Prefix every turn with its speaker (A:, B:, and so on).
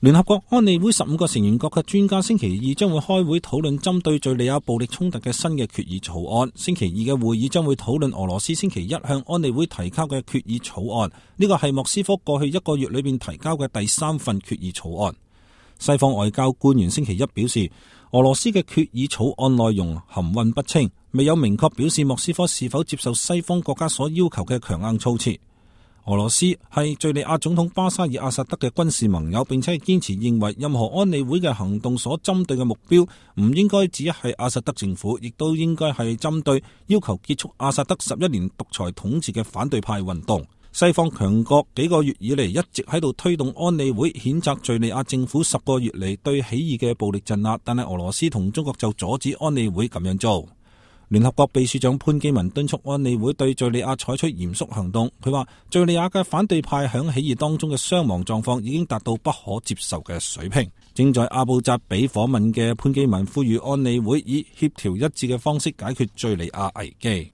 A: 聯合國安理會15個成員國嘅專家星期二將會開會討論針對敘利亞暴力衝突嘅新嘅決議草案。星期二嘅會議將會討論俄羅斯星期一向安理會提交嘅決議草案，呢個係莫斯科過去1個月裏邊提交嘅第3份決議草案。西方外交官員星期一表示，俄羅斯嘅決議草案內容含混不清，未有明確表示莫斯科是否接受西方國家所要求嘅強硬措辭。俄羅斯係敘利亞總統巴沙爾阿薩德嘅軍事盟友，並且係堅持認為任何安理會嘅行動所針對嘅目標唔應該只係阿薩德政府，亦都應該係針對要求結束阿薩德11年獨裁統治嘅反對派運動。西方強國幾個月以嚟一直喺度推動安理會譴責敘利亞政府10個月嚟對起義嘅暴力鎮壓，但係俄羅斯同中國就阻止安理會咁樣做。聯合國秘書長潘基文敦促安理會對敘利亞採取嚴肅行動。佢話敘利亞嘅反對派響起義當中嘅傷亡狀況已經達到不可接受嘅水平。正在阿布扎比訪問嘅潘基文呼籲安理會以協調一致嘅方式解決敘利亞危機。